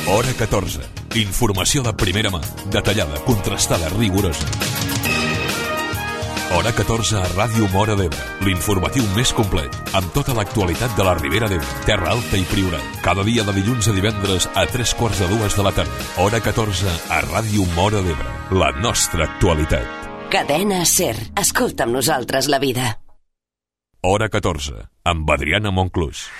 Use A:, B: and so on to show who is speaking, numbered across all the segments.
A: Hora 14. Informació de primera mà, detallada, contrastada, rigorosa. Hora 14 a Ràdio Móra d'Ebre, l'informatiu més complet, amb tota l'actualitat de la Ribera d'Ebre, Terra Alta i Priorat. Cada dia de dilluns a divendres a 3:45 de la tarda. Hora 14 a Ràdio Móra d'Ebre, la nostra actualitat.
B: Cadena SER. Escolta amb nosaltres la vida.
A: Hora 14, amb Adriana Monclús.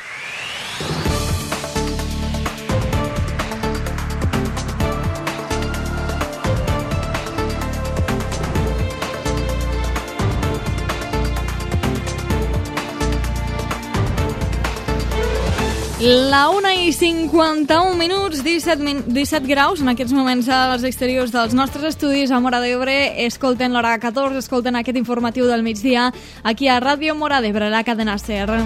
C: La 1:51, 17 graus en aquests moments als exteriors dels nostres estudis a Móra d'Ebre. Escolten l'hora 14, escolten aquest informatiu del migdia aquí a Ràdio Móra d'Ebre, la cadena SER.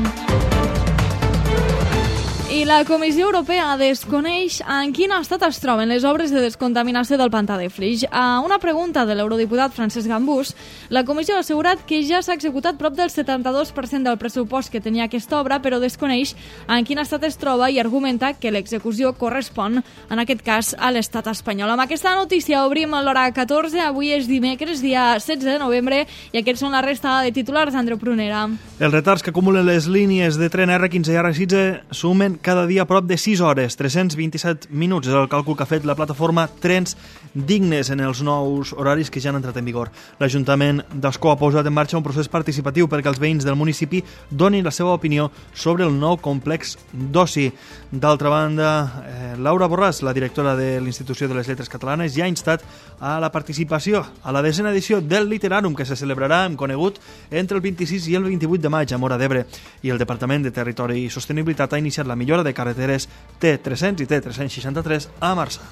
C: I la Comissió Europea desconeix en quin estat es troben les obres de descontaminació del pantà de Flix. A una pregunta de l'eurodiputat Francesc Gambús, la Comissió ha assegurat que ja s'ha executat prop del 72% del pressupost que tenia aquesta obra, però desconeix en quin estat es troba i argumenta que l'execució correspon, en aquest cas, a l'estat espanyol. Amb aquesta notícia obrim l'hora 14. Avui és dimecres, dia 16 de novembre, i aquests són la resta de titulars d'Andreu Prunera.
D: Els retards que acumulen les línies de tren R15 i R16 sumen cada dia prop de 6 hores, 327 minuts és el càlcul que ha fet la plataforma Trens Dignes en els nous horaris que ja han entrat en vigor. L'Ajuntament d'Ascó ha posat en marxa un procés participatiu perquè els veïns del municipi donin la seva opinió sobre el nou complex d'oci. D'altra banda, Laura Borràs, la directora de l'Institució de les Lletres Catalanes, ja ha instat a la participació a la 10a edició del Literàrum, que se celebrarà, hem conegut, entre el 26 i el 28 de maig a Móra d'Ebre. I el Departament de Territori i Sostenibilitat ha iniciat la millora de carreteres T300 i T363 a Marçà.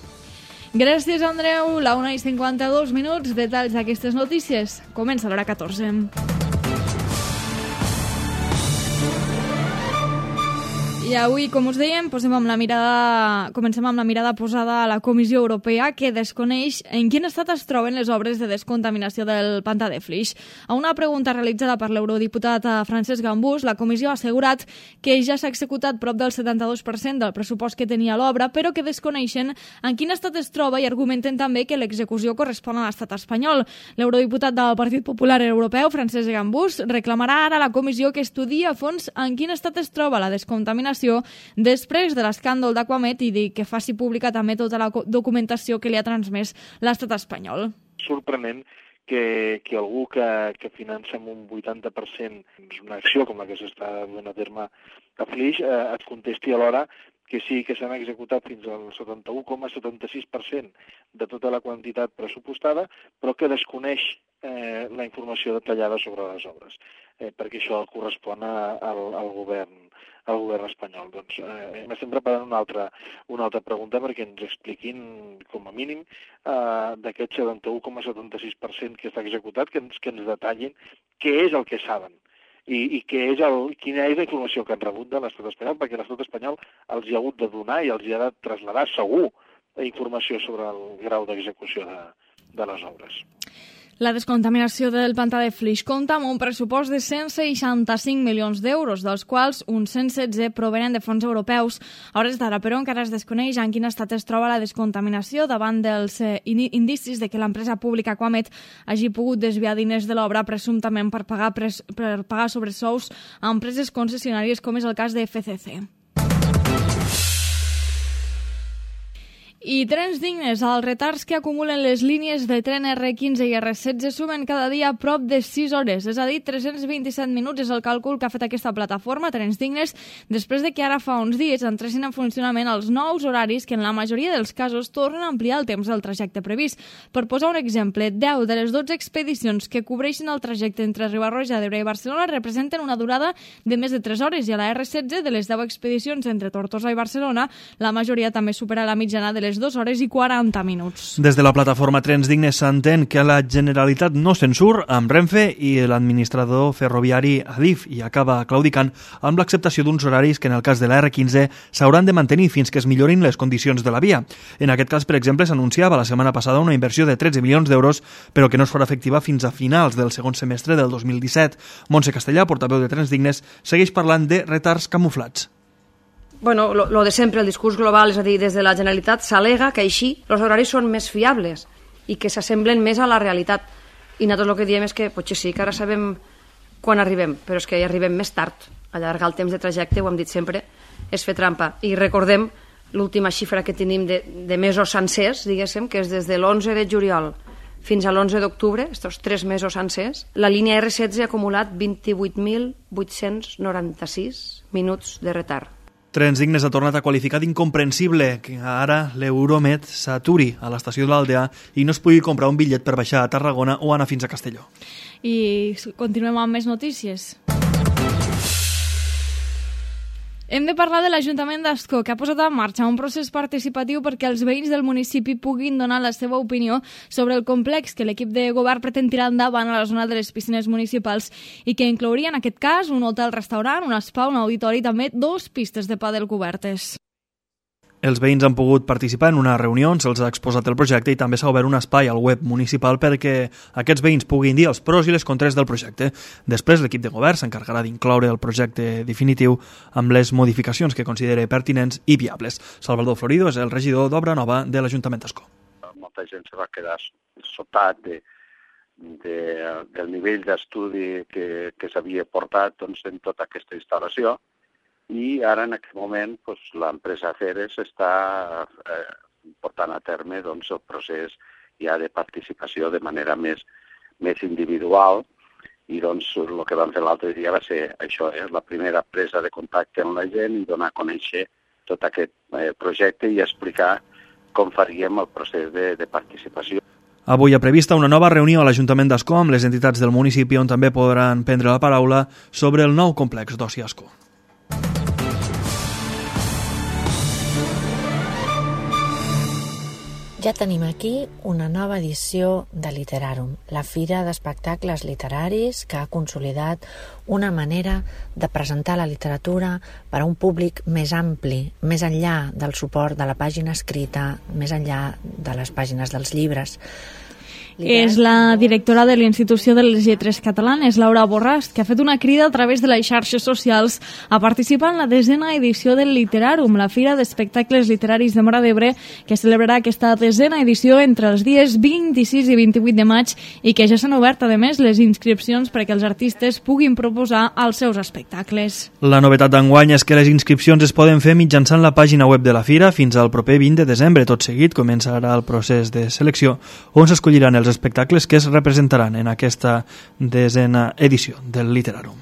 C: Gràcies, Andreu. La 1:52, detalls d'aquestes notícies. Comença l'hora 14. I avui, com us dèiem, comencem amb la mirada posada a la Comissió Europea, que desconeix en quin estat es troben les obres de descontaminació del pantà de Flix. A una pregunta realitzada per l'eurodiputat Francesc Gambús, la Comissió ha assegurat que ja s'ha executat prop del 72% del pressupost que tenia l'obra, però que desconeixen en quin estat es troba i argumenten també que l'execució correspon a l'estat espanyol. L'eurodiputat del Partit Popular Europeu, Francesc Gambús, reclamarà ara a la Comissió que estudiï a fons en quin estat es troba la descontaminació després de l'escàndol d'Aquamet i que faci pública també tota la documentació que li ha transmès l'estat espanyol.
E: Sorprenent que algú que finança amb un 80% una acció com la que s'està duent a terme a Flix et contesti alhora que sí que s'han executat fins al 71,76% de tota la quantitat pressupostada, però que desconeix la informació detallada sobre les obres, perquè això correspon al govern espanyol. Doncs m'estem preparant una altra pregunta perquè ens expliquin, com a mínim, d'aquest 71,76% que està executat, que ens detallin què és el que saben i quina és la informació que han rebut de l'estat espanyol, perquè l'estat espanyol els hi ha hagut de donar i els hi ha de traslladar segur la informació sobre el grau d'execució de les obres.
C: La descontaminació del pantà de Flix compta amb un pressupost de 165 milions d'euros, dels quals uns 116 provenen de fons europeus. A hores d'ara, però, encara es desconeix en quin estat es troba la descontaminació davant dels indicis de que l'empresa pública Aquamet hagi pogut desviar diners de l'obra presumptament per pagar sobresous a empreses concessionàries, com és el cas de FCC. I Trens Dignes, els retards que acumulen les línies de tren R15 i R16 sumen cada dia prop de 6 hores, és a dir, 327 minuts és el càlcul que ha fet aquesta plataforma, Trens Dignes, després de que ara fa uns dies entressin en funcionament els nous horaris que en la majoria dels casos tornen a ampliar el temps del trajecte previst. Per posar un exemple, 10 de les 12 expedicions que cobreixen el trajecte entre Riba-roja d'Ebre i Barcelona representen una durada de més de 3 hores i a la R16 de les 10 expedicions entre Tortosa i Barcelona, la majoria també supera la mitjana de les 2 hores i 40 minuts.
D: Des de la plataforma Trens Dignes s'entén que la Generalitat no se'n surt amb Renfe i l'administrador ferroviari Adif i acaba claudicant amb l'acceptació d'uns horaris que en el cas de la R15 s'hauran de mantenir fins que es millorin les condicions de la via. En aquest cas, per exemple, s'anunciava la setmana passada una inversió de 13 milions d'euros, però que no es farà efectiva fins a finals del segon semestre del 2017. Montse Castellà, portaveu de Trens Dignes, segueix parlant de retards camuflats.
F: bueno, lo de sempre, el discurs global, és a dir, des de la Generalitat s'al·lega que així els horaris són més fiables i que s'assemblen més a la realitat. I nosaltres el que diem és que potser sí, que ara sabem quan arribem, però és que hi arribem més tard. Allargar el temps de trajecte, ho hem dit sempre, és fer trampa. I recordem l'última xifra que tenim de mesos sencers, diguéssim, que és des de l'11 de juliol fins a l'11 d'octubre, aquests 3 mesos sencers, la línia R16 ha acumulat 28.896 minuts de retard.
D: Trens Dignes ha tornat a qualificar d'incomprensible que ara l'Euromed s'aturi a l'estació de l'Aldea i no es pugui comprar un bitllet per baixar a Tarragona o anar fins a Castelló.
C: I continuem amb més notícies. Hem de parlar de l'Ajuntament d'Ascó, que ha posat en marxa un procés participatiu perquè els veïns del municipi puguin donar la seva opinió sobre el complex que l'equip de govern pretén tirar endavant a la zona de les piscines municipals i que inclouria, en aquest cas, un hotel-restaurant, un spa, un auditori i també 2 pistes de pàdel cobertes.
D: Els veïns han pogut participar en una reunió on se'ls ha exposat el projecte i també s'ha obert un espai al web municipal perquè aquests veïns puguin dir els pros i les contres del projecte. Després, l'equip de govern s'encarregarà d'incloure el projecte definitiu amb les modificacions que consideri pertinents i viables. Salvador Florido és el regidor d'Obra Nova de l'Ajuntament d'Ascó.
G: Molta gent se va quedar sobtat del nivell d'estudi que s'havia portat en tota aquesta instal·lació. I ara, en aquest moment, l'empresa Ceres està portant a terme el procés ja de participació de manera més individual i el que vam fer l'altre dia va ser això, la primera presa de contacte amb la gent i donar a conèixer tot aquest projecte i explicar com faríem el procés de participació.
D: Avui ha prevista una nova reunió a l'Ajuntament d'Ascó amb les entitats del municipi on també podran prendre la paraula sobre el nou complex d'oci Ascó.
H: Ja tenim aquí una nova edició de Literarum, la fira d'espectacles literaris que ha consolidat una manera de presentar la literatura per a un públic més ampli, més enllà del suport de la pàgina escrita, més enllà de les pàgines dels llibres.
C: És la directora de l'Institució de les Lletres Catalanes, Laura Borràs, que ha fet una crida a través de les xarxes socials a participar en la 10a edició del Literarum, la fira d'espectacles literaris de Móra d'Ebre, que celebrarà aquesta 10a edició entre els dies 26 i 28 de maig i que ja s'han obert, a més, les inscripcions perquè els artistes puguin proposar els seus espectacles.
D: La novetat d'enguany és que les inscripcions es poden fer mitjançant la pàgina web de la fira fins al proper 20 de desembre. Tot seguit començarà el procés de selecció on s'escolliran els espectacles que es representaran en aquesta 10a edició del Literarum.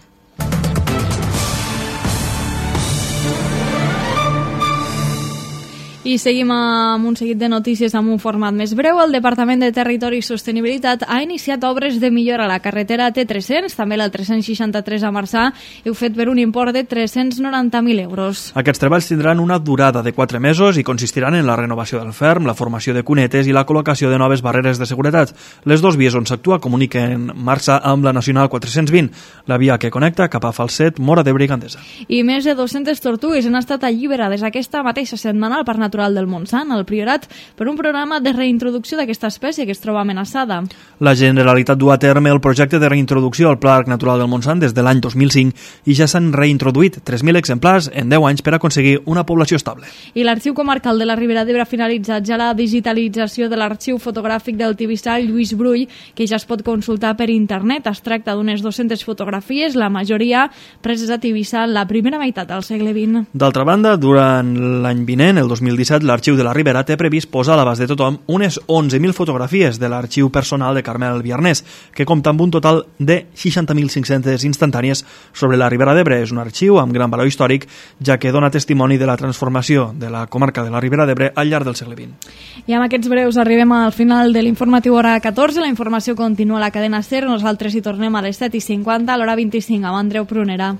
C: I seguim amb un seguit de notícies amb un format més breu. El Departament de Territori i Sostenibilitat ha iniciat obres de millora a la carretera T300, també la 363 a Marçà, i ho fet per un import de 390.000 euros.
D: Aquests treballs tindran una durada de 4 mesos i consistiran en la renovació del ferm, la formació de cunetes i la col·locació de noves barreres de seguretat. Les 2 vies on s'actua comuniquen Marçà amb la Nacional 420, la via que connecta cap a Falset, Móra d'Ebre i Gandesa.
C: I més de 200 tortugues han estat alliberades aquesta mateixa setmana al Parc Natural del Montsant, al Priorat, per un programa de reintroducció d'aquesta espècie que es troba amenaçada.
D: La Generalitat du a terme el projecte de reintroducció al Parc Natural del Montsant des de l'any 2005 i ja s'han reintroduït 3.000 exemplars en 10 anys per aconseguir una població estable.
C: I l'Arxiu Comarcal de la Ribera d'Ebre ha finalitzat ja la digitalització de l'arxiu fotogràfic del tibissà Lluís Brull, que ja es pot consultar per internet. Es tracta d'unes 200 fotografies, la majoria preses a Tivissa en la primera meitat del segle XX.
D: D'altra banda, durant l'any vinent, el 2017, l'Arxiu de la Ribera té previst posar a l'abast de tothom unes 11.000 fotografies de l'arxiu personal de Carmel Viarnés, que compta amb un total de 60.500 instantànies sobre la Ribera d'Ebre. És un arxiu amb gran valor històric, ja que dona testimoni de la transformació de la comarca de la Ribera d'Ebre al llarg del segle XX.
C: I amb aquests breus arribem al final de l'informatiu hora 14. La informació continua a la cadena SER. Nosaltres hi tornem a les 7:50, a l'hora 25, amb Andreu Prunera.